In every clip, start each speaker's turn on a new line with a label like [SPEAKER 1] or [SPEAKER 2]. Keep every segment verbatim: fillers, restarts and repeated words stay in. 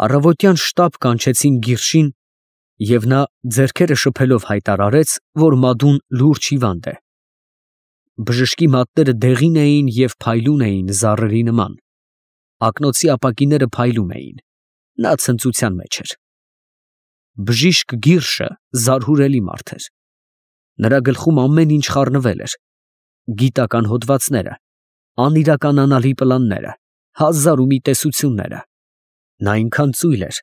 [SPEAKER 1] Առավոտյան շտապ կանչեցին Գիրշին, և նա ձեռքերը շփելով հայտարարեց, որ Մադուն լուրջ հիվանդ է։ Բժշկի մատները դեղին էին և փայլուն էին զառերի նման, ակնոցի ապակիները փայլում էին, նա ցնծության մեջ էր։ Բժիշկ Գիրշը զարհուրելի մարդ էր։ Նրա գլխում ամեն ինչ խառնվել էր, գիտական հոդվածները, անիրականանալի պլանները, հազար ու մի տեսությունները։ Նա այնքան ծույլ էր,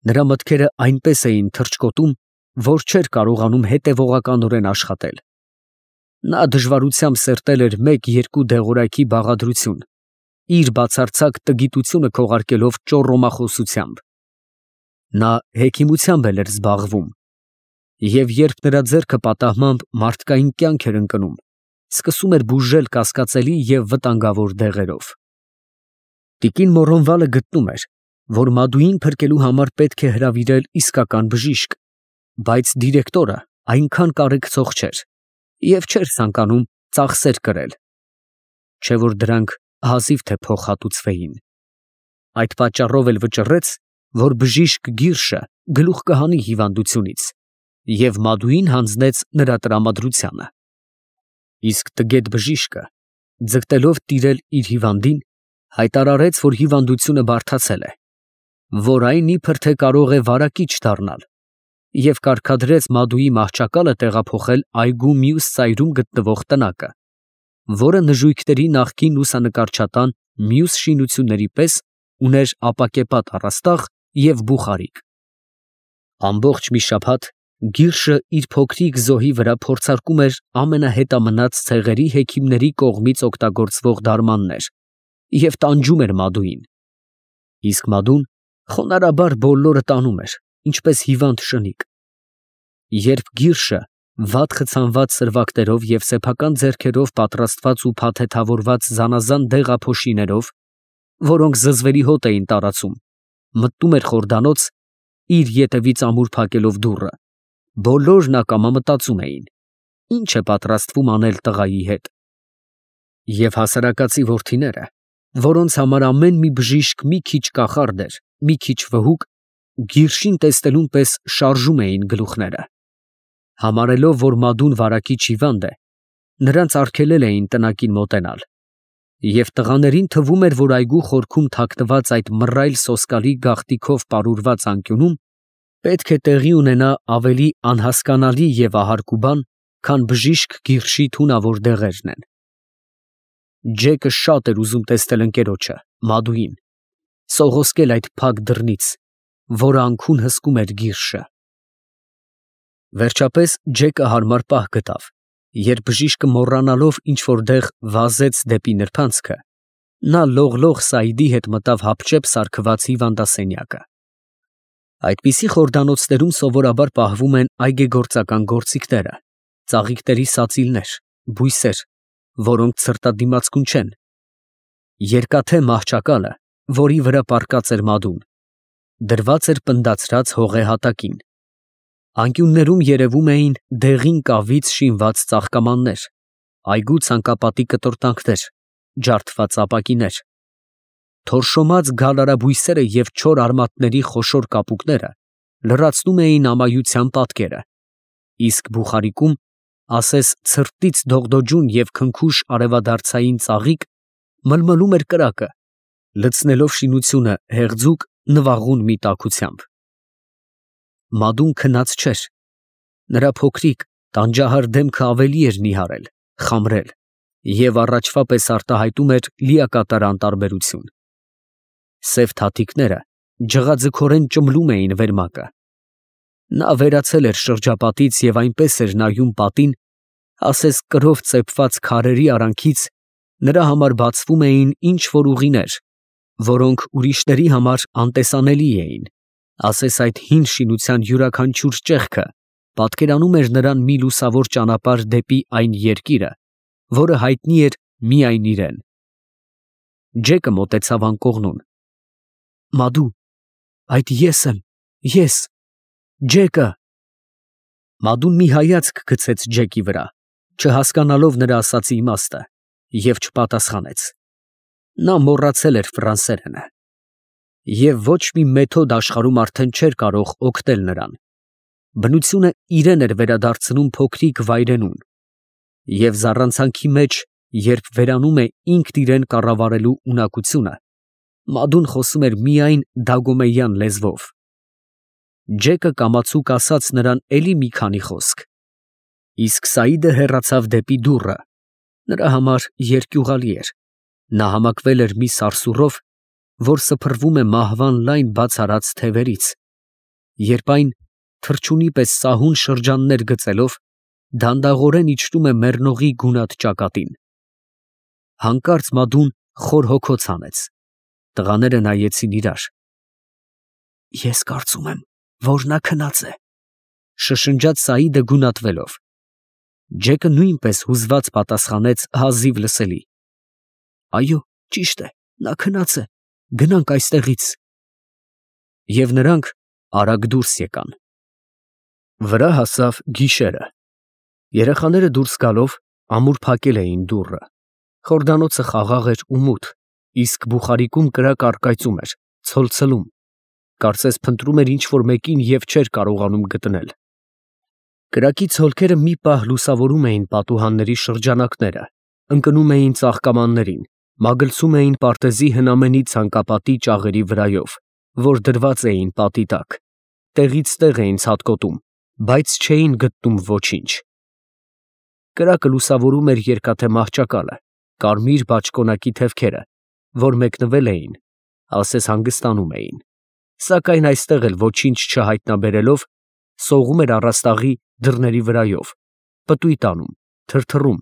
[SPEAKER 1] նրա մտքերը այնպես էին թռչկոտում, որ չէր կարողանում հետևողականորեն աշխատել։ Նա դժվարությամբ սերտել էր մեկ֊երկու դեղորայքի բաղադրություն, իր բացարձակ տգիտությունը քողարկելով ճոռոմախոսությամբ։ Նա հեքիմությամբ էլ էր զբաղվում, և երբ նրա ձեռքը պատահմամբ մարդկային կյանք էր ընկնում, սկսում էր բուժել կասկածելի և վտանգավոր դեղերով։ Տիկին Մորոնվալը գտնում էր, որ Մադուին փրկելու համար պետք է հրավիրել իսկական բժիշկ, բայց դիրեկտորը այնքան կարեկցող չէր և չէր ցանկանում ծախսեր կրել, չէ որ դրանք հազիվ թե փոխհատուցվեին։ Այդ պատճառով էլ վճռեց, որ բժիշկ Գիրշը գլուխ կհանի հիվանդությունից, և Մադուին հանձնեց նրա տրամադրությանը։ Իսկ տգետ բժիշկը, ձգտելով տիրել իր հիվանդին, հայտարարեց, որ հիվանդությունը բարդացել է, որ այն իբր թե կարող է վարակիչ դառնալ, և կարգադրեց Մադուի մահճակալը տեղափոխել այգու մյուս ծայրում գտնվող տնակը, որը նժույգների նախկին լուսանկարչատան մյուս շինությունների պես ուներ ապակեպատ առաստաղ և բուխարիկ։ Ամբողջ մի շաբաթ Գիրշը իր փոքրիկ զոհի վրա փորձարկում էր ամենահետամնաց ցեղերի հեքիմների կողմից օգտագործվող դարմաններ և տանջում էր Մադուին։ Իսկ Մադուն խոնարհաբար բոլորը տանում էր, ինչպես հիվանդ շնիկ։ Երբ Գիրշը վատ խցանված սրվակներով և սեփական ձեռքերով պատրաստված ու փաթեթավորված զանազան դեղափոշիներով, որոնք զզվելի հոտ էին տարածում, մտնում էր խորդանոց, իր ետևից ամուր փակելով դուռը, բոլորն ակամա մտածում էին. ի՞նչ է պատրաստվում անել տղայի հետ։ Եվ հասարակածի որդիները, որոնց համար ամեն մի բժիշկ մի քիչ կախարդ էր, մի քիչ վհուկ, Գիրշին տեսնելուն պես շարժում էին գլուխները։ Համարելով, որ Մադուն վարակիչ հիվանդ է, նրանց արգելել էին տնակին մոտենալ, և տղաներին թվում էր, որ այգու խորքում թաքնված այդ մռայլ սոսկալի գաղտիքով պարուրված անկյունում պետք է տեղի ունենա ավելի անհասկանալի և ահարկու բան, քան բժիշկ Գիրշի թունավոր դեղերն են։ Ջեկը շատ էր ուզում տեսնել ընկերոջը, Մադուին, սողոսկել այդ փակ դռնից, որը անքուն հսկում էր Գիրշը։ Վերջապես Ջեկը հարմար պահ գտավ, երբ բժիշկը մոռանալով ինչ֊որ տեղ վազեց դեպի նրբանցքը, նա լողլող Սաիդի հետ մտավ հապճեպ սարքված հիվանդասենյակը։ Այդպիսի խորդանոցներում սովորաբար պահվում են այգեգործական գործիքները, ծաղիկների սածիլներ, բույսեր, որոնք ցրտադիմացկուն չեն։ Երկաթե մահճակալը, որի վրա պառկած էր Մադուն, դրված էր պնդացրած հողե հատակին։ Անկյուններում երևում էին դեղին կավից շինված ծաղկամաններ, այգու ցանկապատի կտորտանքներ, ջարդված ապակիներ։ Թորշոմած գալարաբույսերը և չոր արմատների խոշոր կապուկները լրացնում էին ամայության պատկերը, իսկ բուխարիկում, ասես ցրտից դողդոջուն և քնքուշ արևադարձային ծաղիկ, մլմլում էր կրակը, լցնելով շինությունը հեղձուկ, նվաղուն մի տաքությամբ։ Մադուն քնած չէր, նրա փոքրիկ, տանջահար դեմքը ավելի էր նիհարել, խամրել և առաջվա պես արտահայտում էր լիակատար անտարբերություն։ Սև թաթիկները ջղաձգորեն ճմլում էին վերմակը։ Նա վերացել էր շրջապատից և այնպես էր նայում պատին, ասես կրով ծեփված քարերի արանքից նրա համար բացվում էին ինչ֊որ ուղիներ, որոնք ուրիշների համար անտեսանելի էին, ասես այդ հին շինության յուրաքանչյուր ճեղքը պատկերանում էր նրան մի լուսավոր ճանապարհ դեպի այն երկիրը, որը հայտնի էր միայն իրան։ Ջեկը մոտեցավ անկողնուն։ Մադու, այդ ես եմ, ես, Ջեկը։ Մադուն մի հայացք գցեց Ջեկի վրա, չհասկանալով նրա ասածի իմաստը, և չպատասխանեց։ Նա մոռացել էր ֆրանսերենը։ Եվ ոչ մի մեթոդ աշխարհում արդեն չէր կարող օգնել նրան։ Բնությունը իրեն էր վերադարձնում փոքրիկ վայրենուն, և զառանցանքի մեջ, երբ վերանում է ինքն իրեն կառավարելու ունակությունը, Մադուն խոսում էր միայն դագոմեյան լեզվով։ Ջեկը կամացուկ ասաց նրան էլի մի քանի խոսք, իսկ Սաիդը հեռացավ դեպի դուռը, նրա համար երկյուղալի էր, նա համակվել էր մի սարսուռով, որ սփռվում է մահվան լայն բաց արած թևերից, երբ այն, թռչունի պես սահուն շրջաններ գծելով, դանդաղորեն իջնում է մեռնողի գունատ ճակատին։ Հանկարծ Մադուն խոր հոգոց հանեց, տղաները նայեցին իրար։ «Ես կարծում եմ, որ նա քնած է», շշնջաց Սաիդը գունատվելով։ Ջեկը նույնպես հուզված պատասխանեց հազիվ լսելի. «Այո, ճիշտ է, նա քնած է, գնանք այստեղից»։ Եվ նրանք արագ դուրս եկան։ Վրա հասավ գիշերը։ Երեխաները դուրս գալով ամուր փակել էին դուռը։ Խորդանոցը խաղաղ էր ու մութ, իսկ բուխարիկում կրակ առկայծում էր, ցոլցլում, կարծես փնտրում էր ինչ֊որ մեկին և չէր կարողանում գտնել։ Կրակի ցոլքերը մի պահ լուսավորում էին պատուհանների շրջանակները, ընկնում էին ծաղկամաններին, մագլցում էին պարտեզի հնամենի ցանկապատի ճաղերի վրայով, որ դրված էին պատի տակ, տեղից տեղ էին ցատկոտում, բայց չէին գտնում ոչինչ։ Կրակը լուսավորում էր երկաթե մահճակալը, կարմիր բաճկոնակի թևքերը, որ մեկնվել էին, ասես հանգստանում էին, սակայն այստեղ էլ ոչինչ չհայտնաբերելով, սողում էր առաստաղի դռների վրայով, պտույտ անում, թրթռում։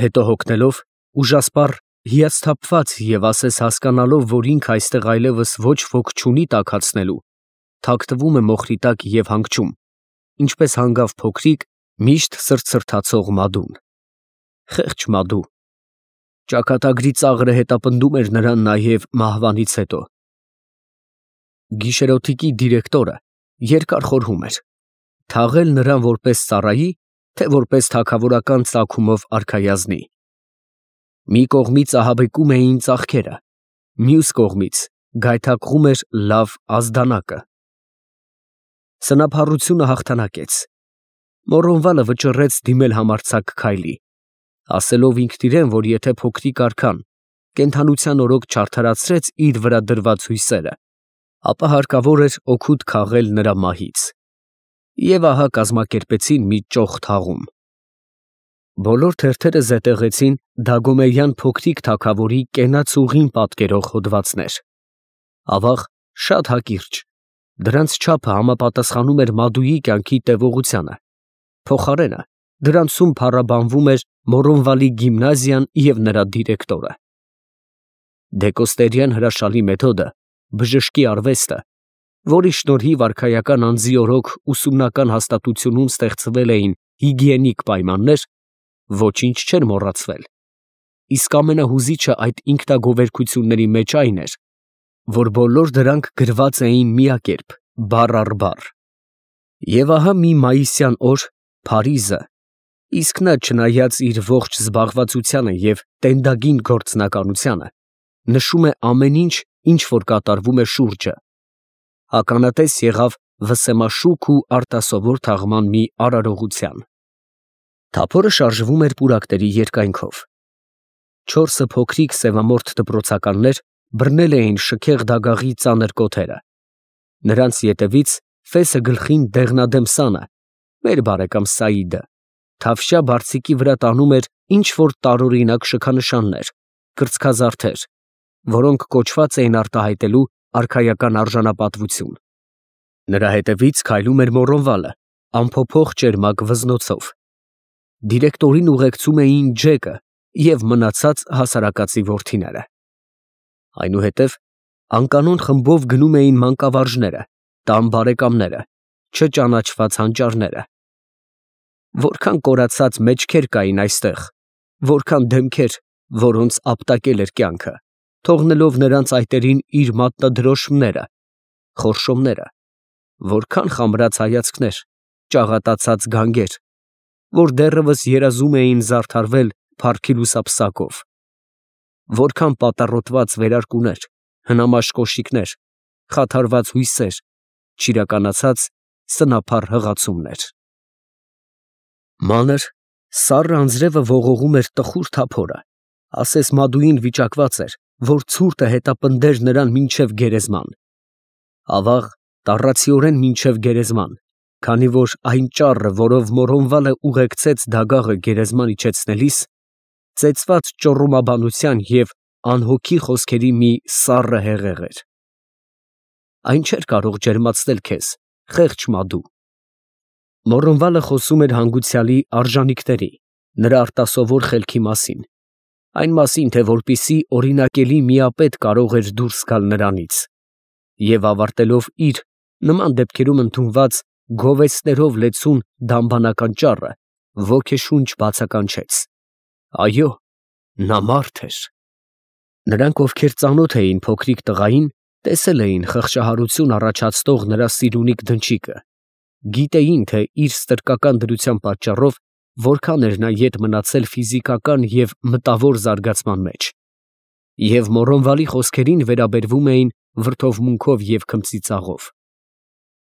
[SPEAKER 1] Հետո հոգնելով, ուժասպառ, հիասթափված և ասես հասկանալով, որ ինքը այստեղ այլևս ոչ ոք չունի տաքացնելու, թաքնվում է մոխրի տակ և հանգչում, ինչպես հանգավ փոքրիկ, միշտ սրտսրտացող Մադուն։ Խեղճ Մադու։ Ճակատագրի ծաղրը հետապնդում էր նրան նաև մահվանից հետո։ Գիշերօթիկի դիրեկտորը երկար խորհում էր, թաղել նրան որպես ծառայի, թե որպես թագավորական ծագումով արքայազնի։ Մի կողմից ահաբեկում էին ծախքերը, մյուս կողմից գայթակղում էր լավ ազդանակը։ Սնափառությունը հաղթանակեց։ Մոռոնվալը վճռեց դիմել համարձակ քայլի, ասելով ինքն իրեն, որ եթե փոքրիկ արքան կենդանության օրոք չարդարացրեց իր վրա դրված հույսերը, ապա հարկավոր էր օգուտ քաղել նրա մահից։ Եվ ահա կազմակերպեցին մի ճոխ թաղում։ Բոլոր թերթերը զետեղեցին Դագոմեյան փոքրիկ թագավորի կենացուղին պատկերող հոդվածներ։ Ավաղ, շատ հակիրճ, դրանց չափը համապատասխանում էր Մադուի կյանքի տևողությանը, փոխարենը դրանցում փառաբանվում էր Մոռոնվալի գիմնազիան և նրա դիրեկտորը։ Դեկոստերյան հրաշալի մեթոդը, բժշկի արվեստը, որի շնորհիվ արքայական անձի օրոք ուսումնական հաստատությունում ստեղծվել էին հիգիենիկ պայմաններ, ոչինչ չէր մոռացվել, իսկ ամենահուզիչը այդ ինքնագովերգությունների մեջ այն էր, որ բոլոր դրանք գրված էին միակերպ, բառ առ բառ։ Եվ ահա մի մայիսյան օր Փարիզը, իսկ նա չնայած իր ողջ զբաղվածությանը և տենդագին գործնականությանը, նշում է ամեն ինչ, ինչ որ կատարվում է շուրջը, ականատես եղավ վսեմաշուք ու արտասովոր թաղման մի արարողության։ Թափորը շարժվում էր պուրակների երկայնքով։ Չորսը փոքրիկ սևամորթ դպրոցականներ բռնել էին շքեղ դագաղի ծանր կոթերը։ Նրանց ետևից ֆեսը գլխին դեղնադեմ սանը, մեր բարեկամ Սաիդը, թավշյա բարձիկի վրա տանում էր ինչ֊որ տարօրինակ շքանշաններ, կրծքազարդեր, որոնք կոչված էին արտահայտելու արքայական արժանապատվություն։ Նրա հետևից քայլում էր Մոռոնվալը, անփոփոխ ճերմակ վզնոցով։ Դիրեկտորին ուղեկցում էին Ջեկը և մնացած հասարակածի որդիները։ Այնուհետև անկանոն խմբով գնում էին մանկավարժները, տան բարեկամները, չճանաչված հանճարները։ Որքան կորացած մեջքեր կային այստեղ, որքան դեմքեր, որոնց ապտակել էր կյանքը, թողնելով նրանց այտերին իր մատնադրոշմները, խորշոմները, որքան խամրած հայացքներ, ճաղատացած գանգեր, որ դեռևս երազում էին զարդարվել փառքի լուսապսակով, որքան պատառոտված վերարկուներ, հնամաշ կոշիկներ, խաթարված հույսեր, չիրականացած սնափառ հղացումներ։ Մանր, սառը անձրևը ողողում էր տխուր թափորը, ասես Մադուին վիճակված էր, որ ցուրտը հետապնդեր նրան մինչև գերեզման։ Ավաղ, տառացիորեն մինչև գերեզման, քանի որ այն ճառը, որով Մորոնվալը ուղեկցեց դագաղը գերեզման իջեցնելիս, ծեծված ճոռոմաբանության և անհոգի խոսքերի մի սառը հեղեղ էր։ Այն չէր կարող ջերմացնել քեզ, խեղճ Մադու։ Մորոնվալը խոսում էր հանգուցյալի արժանիքների, նրա արտասովոր խելքի մասին, այն մասին, թե որպիսի օրինակելի միապետ կարող էր դուրս գալ նրանից, և ավարտելով իր, նման դեպքերում ընդունված գովեստներով լեցուն դամբանական ճառը, ոգեշունչ բացականչեց. այո, նա մարդ էր։ Նրանք, ովքեր ծանոթ էին փոքրիկ տղային, տեսել էին խղճահարություն առաջացնող նրա սիրունիկ դնչիկը, գիտեին, թե իր ստրկական դրության պատճառով որքան էր նա ետ մնացել ֆիզիկական և մտավոր զարգացման մեջ, և Մորոնվալի խոսքերին վերաբերվում էին վրդովմունքով և քմծիծաղով։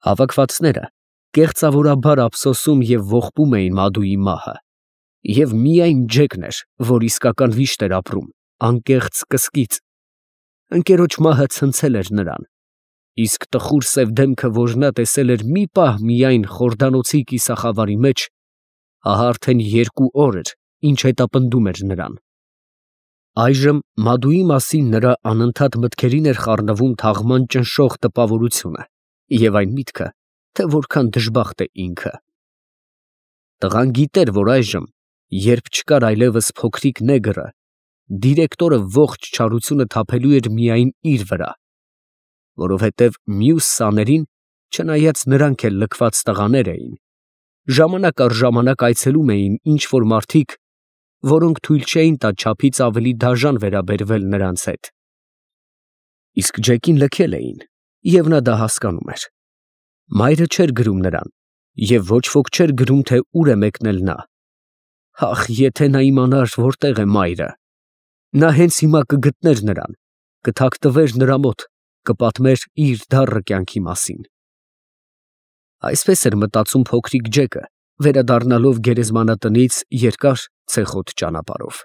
[SPEAKER 1] Հավաքվածները կեղծավորաբար ափսոսում և ողբում էին Մադուի մահը, և միայն Ջեկն էր, որ իսկական վիշտ էր ապրում, անկեղծ կսկիծ։ Ընկերոջ մահը ցնցել էր նրան, իսկ տխուր սև դեմքը, որ նա տեսել էր մի պահ միայն Խորդանոցի կիսախավարի մեջ, ահա արդեն երկու օր էր, ինչ հետապնդում էր նրան։ Այժմ Մադուի մասին նրա անընդհատ մտքերին էր խառնվում թաղման ճնշող տպավորությունը և այն միտքը, թե որքան դժբախտ է ինքը։ Տղան գիտեր, որ այժմ, երբ չկար այլևս փոքրիկ նեգրը, դիրեկտորը ողջ չարությունը թափելու էր միայն իր վրա, որովհետև մյուս սաներին, չնայած նրանք էլ լքված տղաներ էին, ժամանակ առ ժամանակ այցելում էին ինչ֊որ մարդիկ, որոնք թույլ չէին տա չափից ավելի դաժան վերաբերվել նրանց հետ։ Իսկ Ջեկին լքել էին, և նա դա հասկանում էր։ Մայրը չէր գրում նրան, և ոչ ոք չէր գրում, թե ուր է մեկնել նա։ Ախ, եթե նա իմանար, որտեղ է մայրը, նա հենց հիմա կգտներ նրան, կթաքնվեր նրա մոտ, կպատմեր իր դառը կյանքի մասին։ Այսպես էր մտածում փոքրիկ Ջեկը, վերադառնալով գերեզմանատնից երկար ցեխոտ ճանապարհով։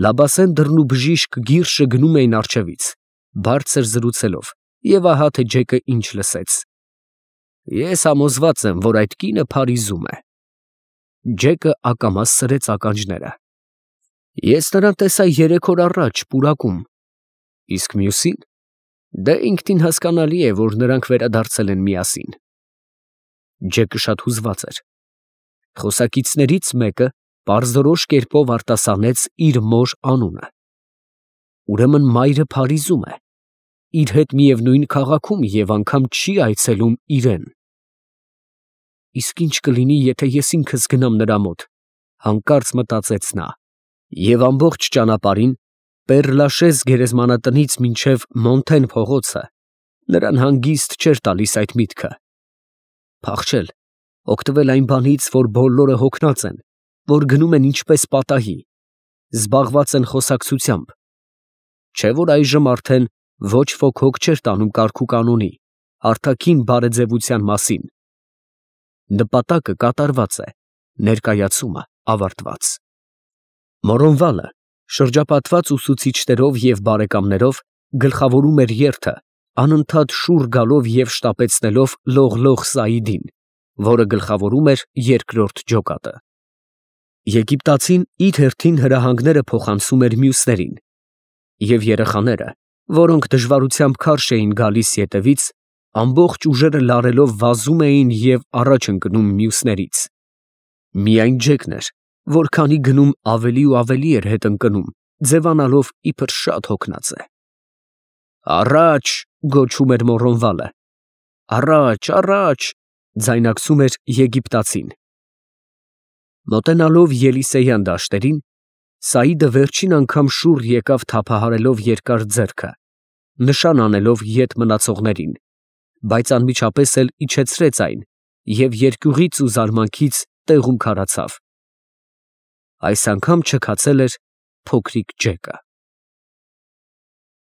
[SPEAKER 1] Լաբասեն դռն ու բժիշկ Գիրշը գնում էին առջևից, բարձր զրուցելով, և ահա թե Ջեկը ինչ լսեց. Ես համոզված եմ, որ այդ կինը Փարիզում է։ Ջեկը ակամա սրեց ականջները։ Ես նրան տեսա երեք օր առաջ պուրակում։ Իսկ մյուսի՞ն։ Դե ինքնին հասկանալի է, որ նրանք վերադարձել են միասին։ Ջեկը շատ հուզված էր։ Խոսակիցներից մեկը պարզորոշ կերպով արտասանեց իր մոր անունը։ Ուրեմն մայրը Փարիզում է, իր հետ միևնույն քաղաքում և անգամ չի այցելում իրեն։ Իսկ ի՞նչ կլինի, եթե ես ինքս գնամ նրա մոտ, հանկարծ մտածեց նա, և ամբողջ ճանապարհին, Պեր-Լաշեզ գերեզմանատնից մինչև Մոնթեն փողոցը, նրան հանգիստ չէր տալիս այդ միտքը։ Փախչել, օգտվել այն բանից, որ բոլորը հոգնած են, որ գնում են ինչպես պատահի, զբաղված են խոսակցությամբ, չէ՞ որ այժմ արդեն ոչ ոք հոգ չէր տանում կարգուկանոնի, արտաքին բարեձևության մասին։ Նպատակը կատարված է, ներկայացումը ավարտված։ Մորոնվալը, շրջապատված ուսուցիչներով և բարեկամներով, գլխավորում էր երթը, անընդհատ շուռ գալով և շտապեցնելով Լողլող Սաիդին, որը գլխավորում էր երկրորդ ջոկատը։ Եգիպտացին իր հերթին հրահանգները փոխանցում էր մյուսներին, և երեխաները, որոնք դժվարությամբ քարշ էին գալիս ետևից, ամբողջ ուժերը լարելով վազում էին և առաջ ընկնում մյուսներից։ Միայն Ջեկն էր, որ քանի գնում ավելի ու ավելի էր հետ ընկնում, ձևանալով իբր շատ հոգնած է։ Առաջ, գոչում էր Մորոնվալը, առաջ, առաջ, ձայնարկում էր եգիպտացին։ Մոտենալով Ելիսեյան դաշտերին, Սաիդը վերջին անգամ շուռ եկավ թափահարելով երկար ձեռքը, նշան անելով ետ մնացողներին, բայց անմիջապես էլ իջեցրեց այն և երկյուղից ու զարմանքից տեղում քարացավ։ Այս անգամ չքացել էր փոքրիկ Ջեկը։